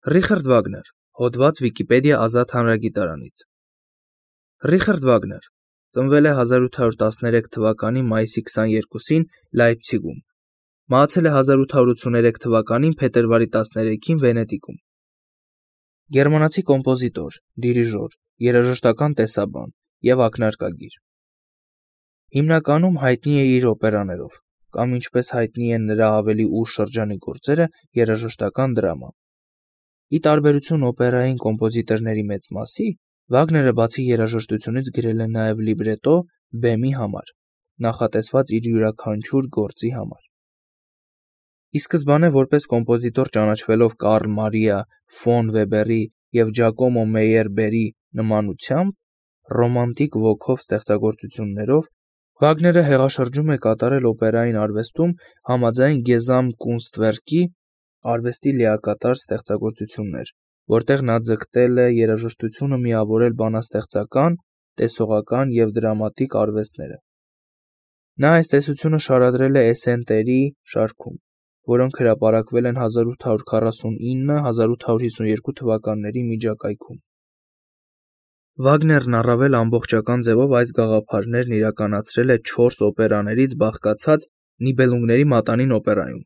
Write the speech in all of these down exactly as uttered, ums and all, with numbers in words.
Ռիխարդ Վագներ, հոդված Վիկիպեդիա ազատ հանրագիտարանից։ Ռիխարդ Վագներ ծնվել է հազար ութ հարյուր տասներեք թվականի մայիսի քսաներկուսին Լայպցիգում, մահացել է հազար ութ հարյուր ութսուներեք թվականին փետրվարի տասներեքին Վենետիկում։ Գերմանացի կոմպոզիտոր, դիրիժոր, երաժշտական տեսաբան և ակնարկագիր։ Հիմնականում հայտնի է իր օպերաներով, կամ ինչպես հայտնի են նրա ավելի ուշ շրջանի գործերը, երաժշտական դրամա։ Ի տարբերություն օպերային կոմպոզիտորների մեծ մասի, Վագները բացի երաժշտությունից գրել է նաև լիբրետո բեմի համար, նախատեսված իր յուրաքանչյուր գործի համար։ Ի սկզբանե որպես կոմպոզիտոր ճանաչվելով Կարլ Մարիա ֆոն Վեբերի և Ջակոմո Մեյերբերի նմանությամբ, ռոմանտիկ ոգով ստեղծագործություններով, Վագները հեղաշրջում է կատարել օպերային արվեստում համաձայն Գեզամտկունստվերկի արվեստի լիակատար ստեղծագործություններ, որտեղ նա ձգտել է երաժշտությունը միավորել բանաստեղծական, տեսողական և դրամատիկ արվեստները։ Նա այս տեսությունը շարադրել է էսսենտերի շարքում, որոնք հրապարակվել են հազար ութ հարյուր քառասունինը - հազար ութ հարյուր հիսունյոթ թվականների միջակայքում։ Վագներն առավել ամբողջական ձևով այս գաղափարներն իրականացրել է չորս օպերաներից բաղկացած Նիբելունգների մատանին օպերայում։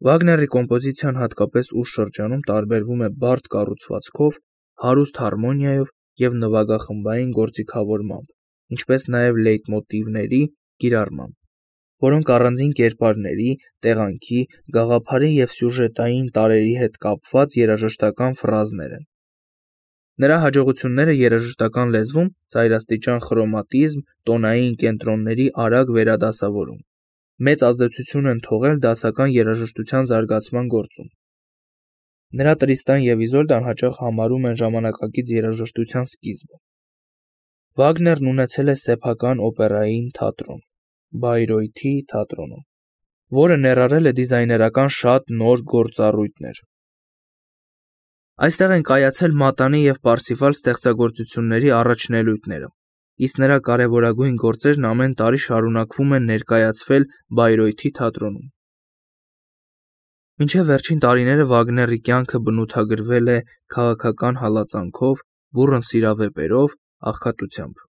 Վագների կոմպոզիցիան հատկապես ուշ շրջանում տարբերվում է բարդ կառուցվածքով, հարուստ հարմոնիայով և նվագախմբային գործիքավորմամբ, ինչպես նաև լեյտմոտիվների կիրառմամբ, որոնք առանձին կերպարների, տեղանքի, գաղափարի և սյուժետային տարրերի հետ կապված երաժշտական ֆրազներ են։ Նրա հաջողությունները երաժշտական լեզվում ծայրաստիճան խրոմատիզմ, տոնային կենտրոնների արագ վերադասավորում, մեծ ազդեցություն են թողել դասական երաժշտության զարգացման գործում։ Նրա Տրիստան և Իզոլդան հաճախ համարում են ժամանակակից երաժշտության սկիզբը։ Վագներն ունեցել է սեփական օպերային թատրոն՝ Բայրեութի թատրոնը, որը ներառել է դիզայներական շատ նոր գործառույթներ։ Այստեղ են կայացել մատանի և Պարսիֆալ ստեղծագործությունների առաջնելույթները, իսկ նրա կարևորագույն գործերն ամեն տարի շարունակվում են ներկայացվել Բայրեութի թատրոնում։ Մինչև վերջին տարիները Վագների կյանքը բնութագրվել է քաղաքական հալածանքով, բուռն սիրավեպերով, աղքատությամբ։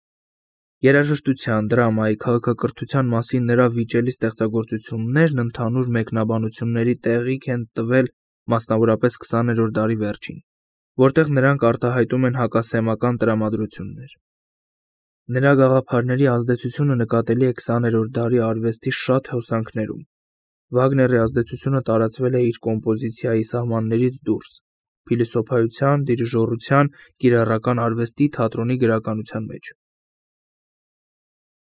Երաժշտության, դրամայի, քաղաքակրթության մասին նրա վիճելի ստեղծագործություններն ընդհանուր մեկնաբանությունների տեղիք են տվել մասնավորապես քսաներորդ դարի վերջին, որտեղ նրանք արտահայտում են հակասեմական տրամադրություններ։ Նրա գաղափարների ազդեցությունը նկատելի է քսաներորդ դարի արվեստի շատ հոսանքներում։ Վագների ազդեցությունը տարածվել է իր կոմպոզիցիայի սահմաններից դուրս՝ փիլիսոփայության, դիրիժորության, կիրառական արվեստի, թատրոնի գրականության մեջ։